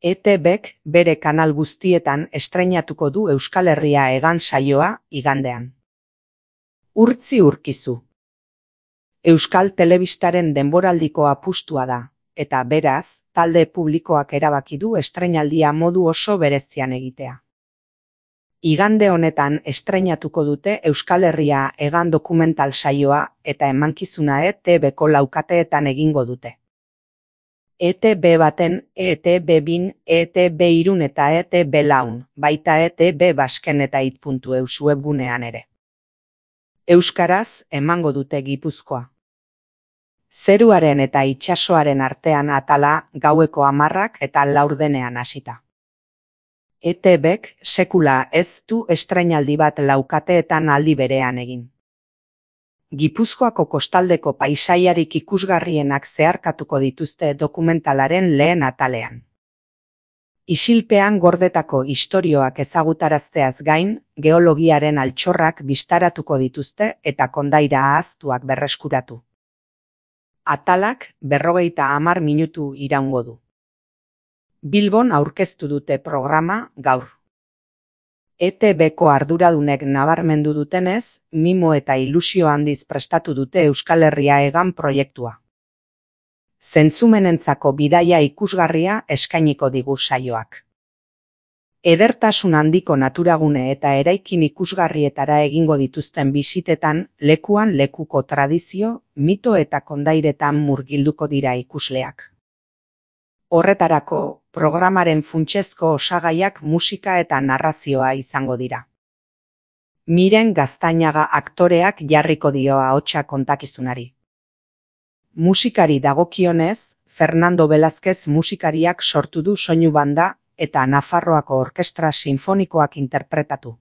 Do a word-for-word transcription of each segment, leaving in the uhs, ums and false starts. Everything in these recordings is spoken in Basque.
E T Bk bere kanal guztietan estreinatuko du Euskal Herria Hegan saioa igandean. Urtzi urkizu. Euskal Telebistaren denboraldiko apustua da, eta beraz, talde publikoak erabaki du estreinaldia modu oso berezian egitea. Igande honetan estreinatuko dute Euskal Herria Hegan dokumental saioa eta emankizuna E T Bko laukateetan egingo dute. E T B baten, E T B bin, E T B irun eta E T B laun, baita E T B basken eta it puntu eus webgunean ere. Euskaraz emango dute Gipuzkoa. Zeruaren eta itsasoaren artean atala gaueko hamarrak eta laurdenean hasita. E T Bk sekula ez du estreinaldi bat laukateetan aldi berean egin. Gipuzkoako kostaldeko paisaiarik ikusgarrienak zeharkatuko dituzte dokumentalaren lehen atalean. Isilpean gordetako istorioak ezagutarazteaz gain, geologiaren altxorrak bistaratuko dituzte eta kondaira ahaztuak berreskuratu. Atalak berrogeita hamar minutu iraungo du. Bilbon aurkeztu dute programa gaur. E T Bko arduradunek nabarmendu dutenez, mimo eta ilusio handiz prestatu dute Euskal Herria Hegan proiektua. Zentzumenentzako bidaia ikusgarria eskainiko digu saioak. Edertasun handiko naturagune eta eraikin ikusgarrietara egingo dituzten bisitetan, lekuan lekuko tradizio, mito eta kondairetan murgilduko dira ikusleak. Horretarako, programaren funtsezko osagaiak musika eta narrazioa izango dira. Miren Gaztañaga aktoreak jarriko dio ahotsa kontakizunari. Musikari dagokionez, Fernando Velázquez musikariak sortu du soinu banda eta Nafarroako Orkestra Sinfonikoak interpretatu.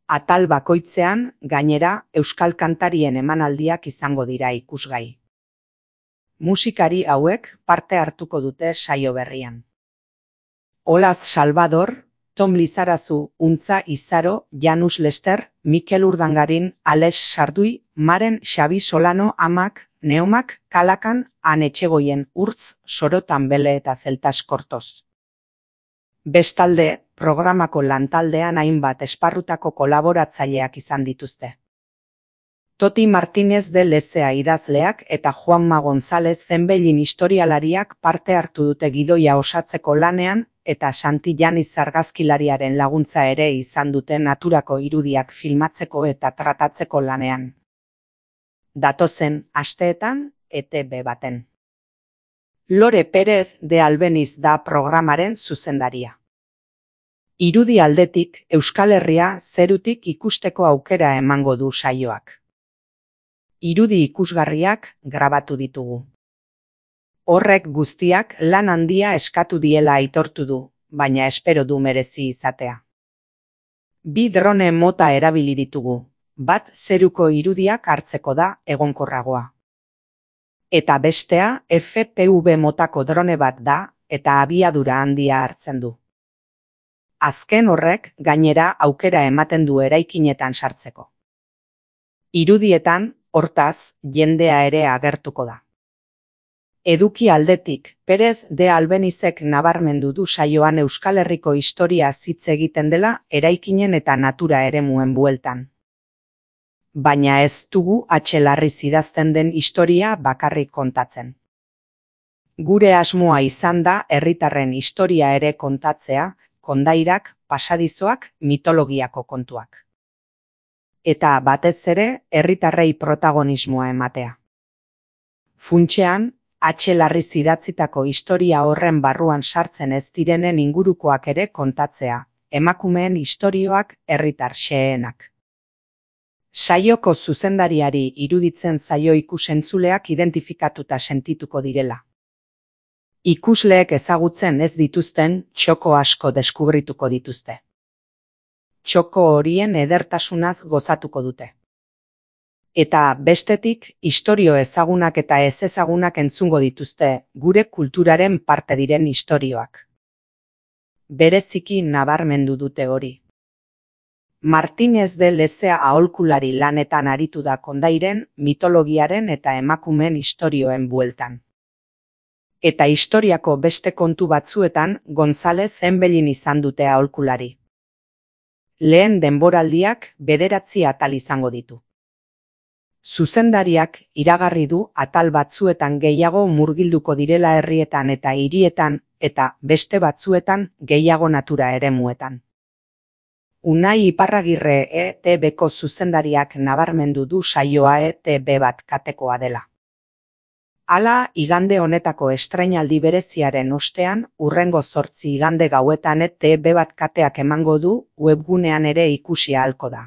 Atal bakoitzean, gainera, euskal kantarien emanaldiak izango dira ikusgai. Musikari hauek parte hartuko dute saio berrian. Olaz Salvador, Tom Lizarazu, Untza Izaro, Janus Lester, Mikel Urdangarin, Alex Sardui, Maren Xabi Solano amak, Neomak, Kalakan, Han Etxegoien, Urtz, Sorotan Bele eta Zeltas Kortoz. Bestalde, programako lantaldean hainbat esparrutako kolaboratzaileak izan dituzte. Toti Martínez de Lezea idazleak eta Juanma González Zenbellin historialariak parte hartu dute gidoia osatzeko lanean eta Santillaniz argazkilariaren laguntza ere izan dute naturako irudiak filmatzeko eta tratatzeko lanean. Datozen asteetan E T B baten. Lore Pérez de Albeniz da programaren zuzendaria. Irudi aldetik Euskal Herria zerutik ikusteko aukera emango du saioak. Irudi ikusgarriak grabatu ditugu. Horrek guztiak lan handia eskatu diela aitortu du, baina espero du merezi izatea. Bi drone mota erabili ditugu, bat zeruko irudiak hartzeko da egonkorragoa. Eta bestea F P V motako drone bat da eta abiadura handia hartzen du. Azken horrek gainera aukera ematen du eraikinetan sartzeko. Irudietan, hortaz, jendea ere agertuko da. Eduki aldetik, Pérez de Albenizek nabarmendu du saioan Euskal Herriko historia hitz egiten dela eraikinen eta natura eremuen bueltan. Baina ez dugu atxelarriz idazten den historia bakarrik kontatzen. Gure asmoa izan da herritarren historia ere kontatzea, kondairak, pasadizoak, mitologiako kontuak. Eta batez ere herritarrei protagonismoa ematea. Funtsean, atxelarriz idatzitako historia horren barruan sartzen ez direnen ingurukoak ere kontatzea, emakumeen istorioak herritar xeheenak. Saioko zuzendariari iruditzen zaio ikusentzuleak identifikatuta sentituko direla. Ikusleek ezagutzen ez dituzten txoko asko deskubrituko dituzte. Txoko horien edertasunaz gozatuko dute. Eta bestetik, istorio ezagunak eta ez ezagunak entzungo dituzte, gure kulturaren parte diren istorioak. Bereziki nabarmendu dute hori. Martínez de Lezea aholkulari lanetan aritu da kondairen, mitologiaren eta emakumeen istorioen bueltan. Eta historiako beste kontu batzuetan Gonzalez Enbelin izan dute aholkulari. Lehen denboraldiak bederatzi atal izango ditu. Zuzendariak iragarri du atal batzuetan gehiago murgilduko direla herrietan eta hirietan eta beste batzuetan gehiago natura eremuetan. Unai Iparragirre E T Bko zuzendariak nabarmendu du saioa E T B bat katekoa dela. Hala, igande honetako estrainaldi bereziaren ostean, hurrengo zortzi igande gauetan E T B bat kateak emango du, webgunean ere ikusi ahalko da.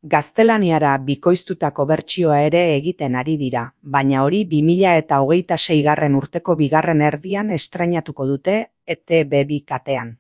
Gaztelaniara bikoiztutako bertsioa ere egiten ari dira, baina hori bi mila eta hogeita seigarren urteko bigarren erdian estrainatuko dute E T B bi katean.